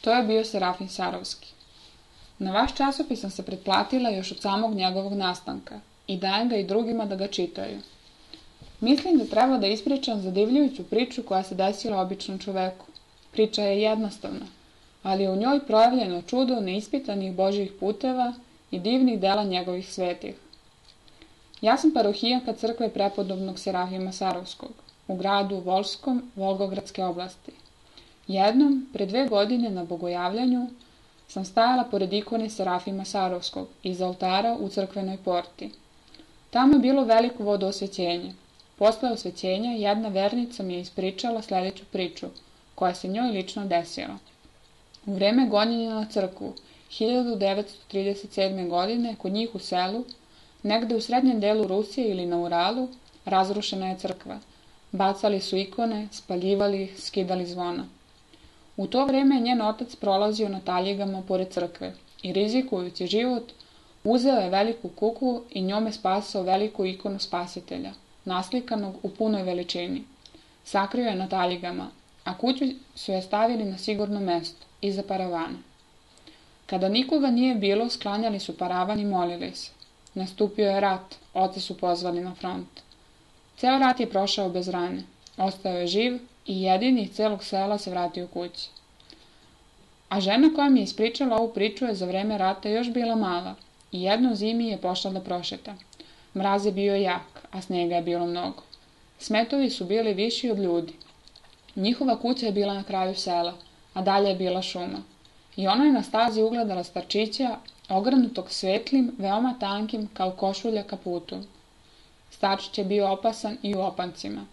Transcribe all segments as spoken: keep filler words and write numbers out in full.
To je bio Serafim Sarovski. Na vaš časopis sam se pretplatila još od samog njegovog nastanka i dajem ga i drugima da ga čitaju. Mislim da treba da ispričam zadivljujuću priču koja se desila običnom čoveku. Priča je jednostavna, ali je u njoj projavljeno čudo neispitanih Božjih puteva i divnih dela njegovih svetih. Ja sam parohijanka crkve prepodobnog Serafima Sarovskog u gradu Volskom Volgogradske oblasti. Jednom, pre dve godine na bogojavljanju, sam stajala pored ikone Serafima Sarovskog iza oltara u crkvenoj porti. Tamo je bilo veliko vodoosvećenje. Posle osvećenja jedna vernica mi je ispričala sljedeću priču, koja se njoj lično desila. U vreme gonjenja na crkvu, hiljadu devetsto trideset sedme. godine, kod njih u selu, negde u srednjem delu Rusije ili na Uralu, razrušena je crkva. Bacali su ikone, spaljivali ih, skidali zvona. U to vreme je njen otac prolazio na taljigama pored crkve i rizikujući život, uzeo je veliku kuklu i njome spasao veliku ikonu spasitelja, naslikanog u punoj veličini. Sakrio je na taljigama, a kuću su je stavili na sigurno mesto, iza paravana. Kada nikoga nije bilo, sklanjali su paravan i molili se. Nastupio je rat, oca su pozvali na front. Ceo rat je prošao bez rane, ostao je živ i jedini iz celog sela se vratio kući. A žena koja mi je ispričala ovu priču je za vreme rata još bila mala i jednom zimi je pošla da prošeta. Mraz je bio jak, a snega je bilo mnogo. Smetovi su bili viši od ljudi. Njihova kuća je bila na kraju sela, a dalje je bila šuma. I ona je na stazi ugledala starčića, ogrnutog svetlim, veoma tankim, kao košulja kaputom. Starčić je bio opasan i u opancima.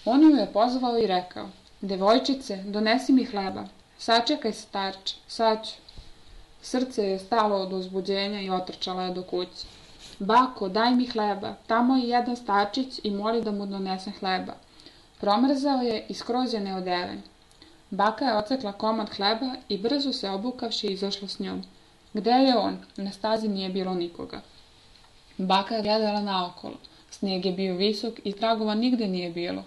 On ju je pozvao i rekao: "Devojčice, donesi mi hleba. Sačekaj, starče, sad ću." Srce je stalo od uzbuđenja i otrčala je do kuće. "Bako, daj mi hleba, tamo je jedan starčić i moli da mu donesem hleba." Promrzao je i skroz je neodeven. Baka je ocekla komad hleba i brzo se obukavši izašla s njom. Gde je on? Na stazi nije bilo nikoga. Baka je gledala naokolo. Snijeg je bio visok i tragova nigde nije bilo.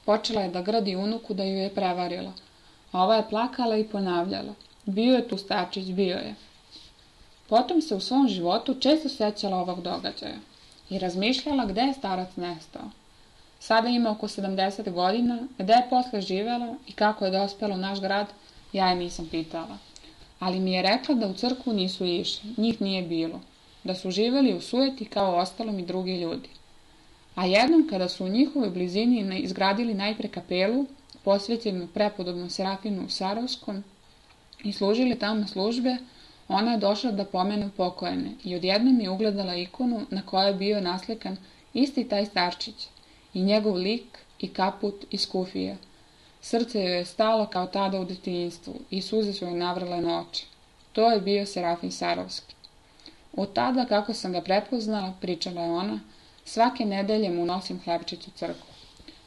Počela je da gradi unuku da ju je prevarila. A ova je plakala i ponavljala: "Bio je tu starčić, bio je." Potom se u svom životu često sećala ovog događaja i razmišljala gde je starac nestao. Sada ima oko sedamdeset godina, gde je posle živela i kako je dospela u naš grad, ja je nisam pitala. Ali mi je rekla da u crkvu nisu išli, njih nije bilo, da su živeli u sujeti kao ostalom i drugi ljudi. A jednom kada su u njihovoj blizini izgradili najpre kapelu, posvećenu prepodobnom Serafinu Sarovskom, i služili tamo službe, ona je došla da pomene pokojene i odjednom je ugledala ikonu na kojoj je bio naslikan isti taj starčić, i njegov lik, i kaput, i skufija. Srce joj je stalo kao tada u detinjstvu i suze su joj navrle na oči. To je bio Serafim Sarovski. Od tada, kako sam ga prepoznala, pričala je ona, svake nedelje mu nosim hlebčić u crkvu.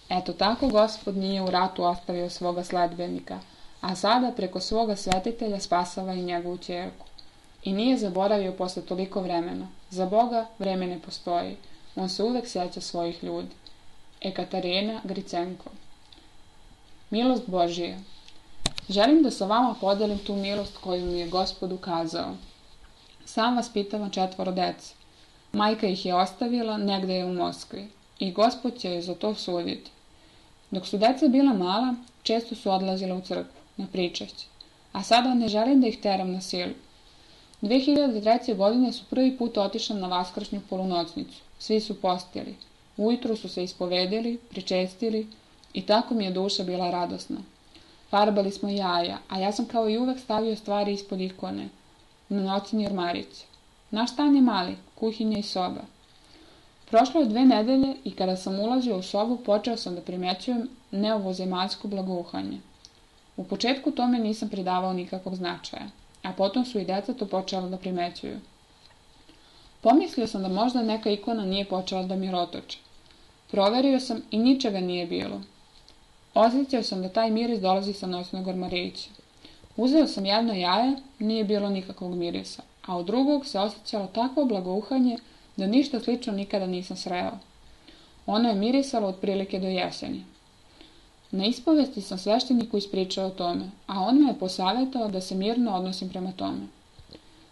Eto tako Gospod nije u ratu ostavio svoga sledbenika, a sada preko svoga svetitelja spasava i njegovu ćerku. I nije zaboravio posle toliko vremena. Za Boga vreme ne postoji. On se uvek sjeća svojih ljudi. Ekaterina Gricenko. Milost Božija. Želim da sa vama podelim tu milost koju mi je Gospod ukazao. Sam vaspitavam četvoro dece. Majka ih je ostavila, negde je u Moskvi, i Gospod će je za to suditi. Dok su deca bila mala, često su odlazile u crkvu, na pričašće, a sada ne želim da ih teram na silu. dve hiljade treće. godine su prvi put otišli na vaskršnju polunocnicu. Svi su postili. Ujutru su se ispovedili, pričestili i tako mi je duša bila radosna. Farbali smo jaja, a ja sam kao i uvek stavio stvari ispod ikone, na noćni ormarić. Naš stan je mali, kuhinja i soba. Prošlo je dve nedelje i kada sam ulazio u sobu, počeo sam da primećujem neovozemaljsko blagouhanje. U početku tome nisam pridavao nikakvog značaja, a potom su i deca to počela da primećuju. Pomislio sam da možda neka ikona nije počela da mirotoče. Proverio sam i ničega nije bilo. Osjećao sam da taj miris dolazi sa noćnog ormarića. Uzeo sam jedno jaje, nije bilo nikakvog mirisa, a od drugog se osjećalo takvo blagouhanje da ništa slično nikada nisam sreo. Ono je mirisalo otprilike do jeseni. Na ispovesti sam svešteniku ispričao o tome, a on me je posavjetao da se mirno odnosim prema tome.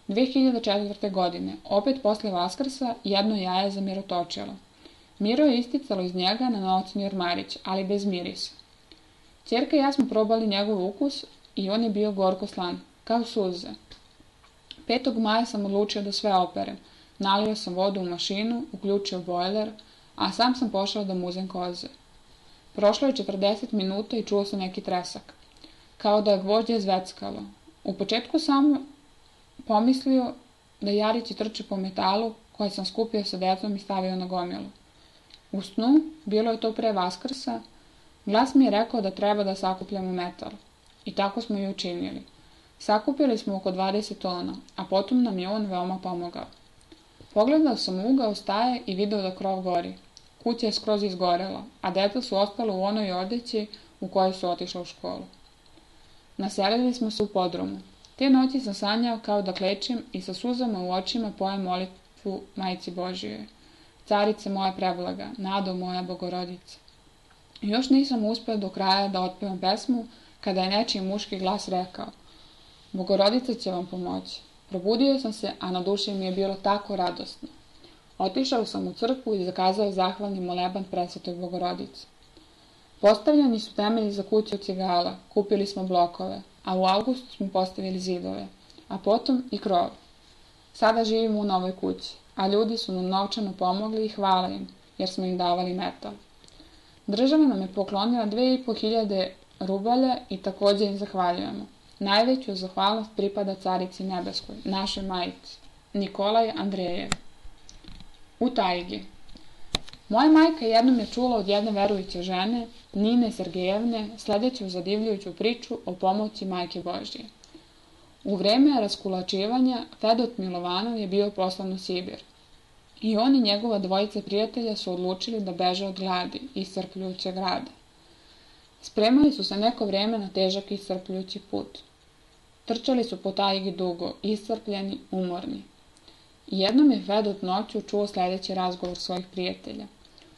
dve hiljade četvrte. godine, opet posle Vaskrsa, jedno jaje zamirotočilo. Miro je isticalo iz njega na nocni ormarić, ali bez mirisa. Ćerka i ja smo probali njegov ukus i on je bio gorko slan, kao suze. petog maja sam odlučio da sve operem. Nalio sam vodu u mašinu, uključio bojler, a sam sam pošao da muzem koze. Prošlo je četrdeset minuta i čuo sam neki tresak, kao da je gvožđe zveckalo. U početku sam pomislio da jarići trče po metalu koje sam skupio sa decom i stavio na gomilu. U snu, bilo je to pre Vaskrsa, glas mi je rekao da treba da sakupljamo metal. I tako smo i učinili. Sakupili smo oko dvadeset tona, a potom nam je on veoma pomogao. Pogledao sam u ugao staje i video da krov gori. Kuća je skroz izgorela, a deca su ostala u onoj odeći u kojoj su otišla u školu. Naselili smo se u podrumu. Te noći sam sanjao kao da klečim i sa suzama u očima pojem molitvu Majci Božijoj. Carice moja preblaga, nado moja Bogorodice. Još nisam uspeo do kraja da otpevam pesmu, kada je nečiji muški glas rekao: Bogorodica će vam pomoći. Probudio sam se, a na duši mi je bilo tako radosno. Otišao sam u crkvu i zakazao zahvalni moleban Presvetoj Bogorodici. Postavljeni su temelji za kuću od cigala, kupili smo blokove, a u avgustu smo postavili zidove, a potom i krov. Sada živimo u novoj kući, a ljudi su nam novčano pomogli i hvala im, jer smo im davali metal. Država nam je poklonila dve i po hiljade rubalja i također im zahvaljujemo. Najveću zahvalnost pripada Carici Nebeskoj, našoj majici, Nikolaj Andrejev. U tajgi. Moja majka jednom je čula od jedne verujuće žene, Nine Sergejevne, sledeću zadivljujuću priču o pomoći Majke Božije. U vreme raskulačivanja Fedot Milovanov je bio poslan u Sibir. I on i njegova dvojica prijatelja su odlučili da beže od gladi i iscrpljujućeg rada. Spremali su se neko vreme na težak i iscrpljujući put. Trčali su po tajgi dugo, iscrpljeni, umorni. Jednom je Fedot noću čuo sledeći razgovor svojih prijatelja.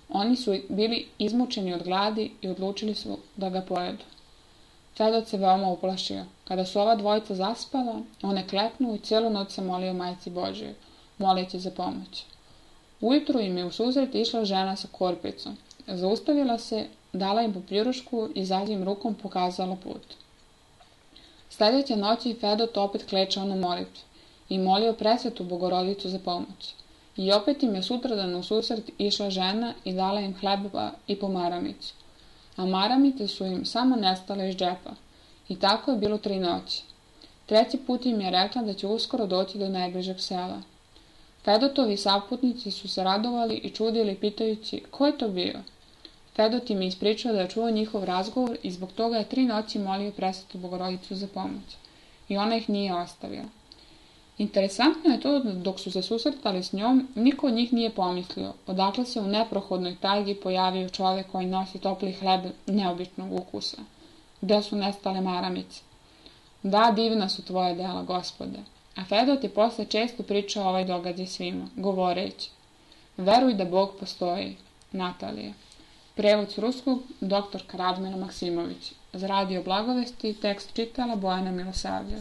Oni su bili izmučeni od gladi i odlučili su da ga pojedu. Fedot se veoma uplašio. Kada su ova dvojica zaspala, on je kleknuo i cijelu noć se molio Majci Božijoj, moleći za pomoć. Ujutru im je u susret išla žena sa korpicom. Zaustavila se, dala im popjurušku i zadnjim rukom pokazala put. Sljedeće noći Fedot opet klečao na molitvi i molio Presvetu Bogorodicu za pomoć. I opet im je sutradan u susret išla žena i dala im hleba i pomaramicu. A maramice su im samo nestale iz džepa. I tako je bilo tri noći. Treći put im je rekla da će uskoro doći do najbližeg sela. Fedotovi saputnici su se radovali i čudili pitajući ko je to bio. Fedot im je ispričao da je čuo njihov razgovor i zbog toga je tri noći molio Presvetu Bogorodicu za pomoć. I ona ih nije ostavila. Interesantno je to da dok su se susretali s njom, niko od njih nije pomislio odakle se u neprohodnoj tajgi pojavio čovjek koji nosi topli hleb neobičnog ukusa. Gde su nestale maramice? Da, divna su tvoje dela, Gospode. A Fedot je posle često pričao ovaj događaj svima, govoreći: Veruj da Bog postoji. Natalija. Prevod s ruskog, doktor Radmila Maksimović. Za radio Blagovesti tekst čitala Bojana Milosavljev.